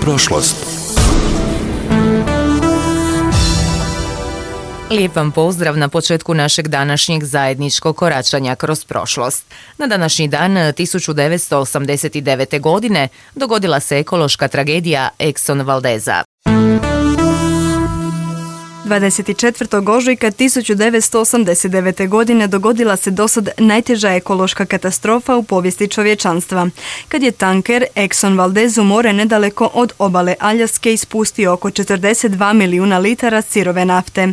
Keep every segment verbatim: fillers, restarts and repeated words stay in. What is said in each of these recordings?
prošlost. Lijep vam pozdrav na početku našeg današnjeg zajedničkog koračanja kroz prošlost. Na današnji dan tisuću devetsto osamdeset devete. godine dogodila se ekološka tragedija Exxon Valdeza. dvadeset četvrtog ožujka tisuću devetsto osamdeset devete. godine dogodila se dosad najteža ekološka katastrofa u povijesti čovječanstva, kad je tanker Exxon Valdez u more nedaleko od obale Aljaske ispustio oko četrdeset dva milijuna litara sirove nafte.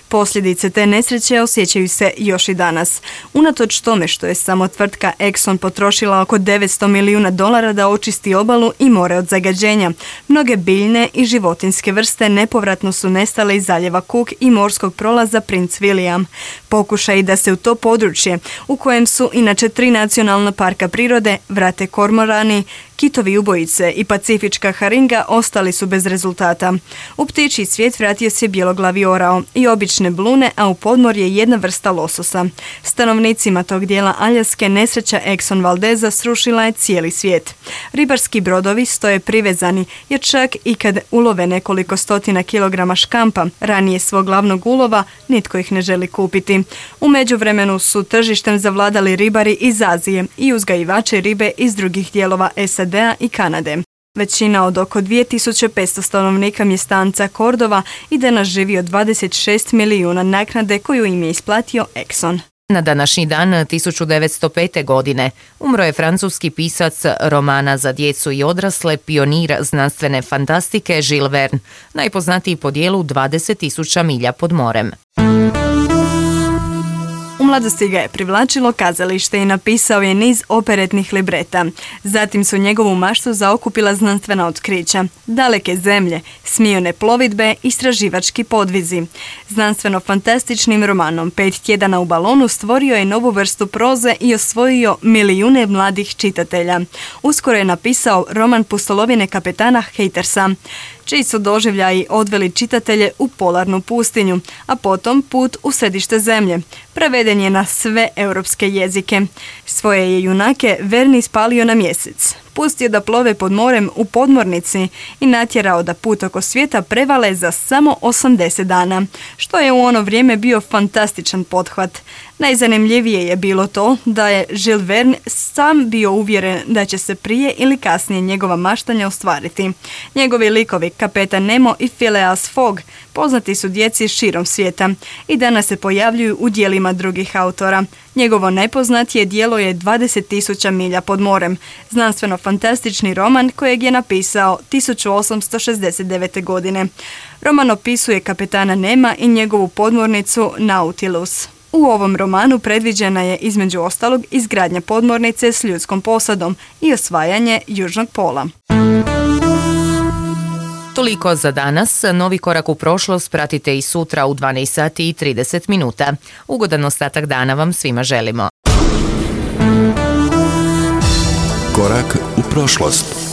Posljedice te nesreće osjećaju se još i danas. Unatoč tome što je samo tvrtka Exxon potrošila oko devetsto milijuna dolara da očisti obalu i more od zagađenja, mnoge biljne i životinjske vrste nepovratno su nestale iz zaljeva Cook i morskog prolaza Prince William. Pokušaj da se u to područje, u kojem su inače tri nacionalna parka prirode, vrate kormorani, kitovi ubojice i pacifička haringa, ostali su bez rezultata. U ptičji svijet vratio se bjeloglavi orao i obične blune, a u podmorje jedna vrsta lososa. Stanovnicima tog dijela Aljaske nesreća Exxon Valdeza srušila je cijeli svijet. Ribarski brodovi stoje privezani, jer čak i kad ulove nekoliko stotina kilograma škampa, ranije svog glavnog ulova, nitko ih ne želi kupiti. U međuvremenu su tržištem zavladali ribari iz Azije i uzgajivači ribe iz drugih dijelova S A D-a i Kanade. Većina od oko dvije tisuće petsto stanovnika mjestanca Cordova i danas živi od dvadeset šest milijuna naknade koju im je isplatio Exxon. Na današnji dan tisuću devetsto pete. godine umro je francuski pisac romana za djecu i odrasle, pionir znanstvene fantastike Jules Verne, najpoznatiji po dijelu dvadeset tisuća milja pod morem. U mladosti ga je privlačilo kazalište i napisao je niz operetnih libreta. Zatim su njegovu maštu zaokupila znanstvena otkrića, daleke zemlje, smijone plovidbe, istraživački podvizi. Znanstveno-fantastičnim romanom Pet tjedana u balonu stvorio je novu vrstu proze i osvojio milijune mladih čitatelja. Uskoro je napisao roman Pustolovine kapetana Hatersa, čiji su doživljaji odveli čitatelje u polarnu pustinju, a potom Put u središte zemlje. Preveden je na sve europske jezike. Svoje je junake Verne ispalio na mjesec, pustio da plove pod morem u podmornici i natjerao da put oko svijeta prevale za samo osamdeset dana, što je u ono vrijeme bio fantastičan pothvat. Najzanimljivije je bilo to da je Jules Verne sam bio uvjeren da će se prije ili kasnije njegova maštanja ostvariti. Njegovi likovi Kapetan Nemo i Phileas Fogg poznati su djeci širom svijeta i danas se pojavljuju u dijelima drugih autora. Njegovo najpoznatije djelo je dvadeset tisuća milja pod morem, znanstveno-fantastični roman kojeg je napisao tisuću osamsto šezdeset devete. godine. Roman opisuje kapetana Nema i njegovu podmornicu Nautilus. U ovom romanu predviđena je između ostalog izgradnja podmornice s ljudskom posadom i osvajanje južnog pola. Toliko za danas. Novi korak u prošlost pratite i sutra u dvanaest sati i trideset minuta. Ugodan ostatak dana vam svima želimo. Korak u prošlost.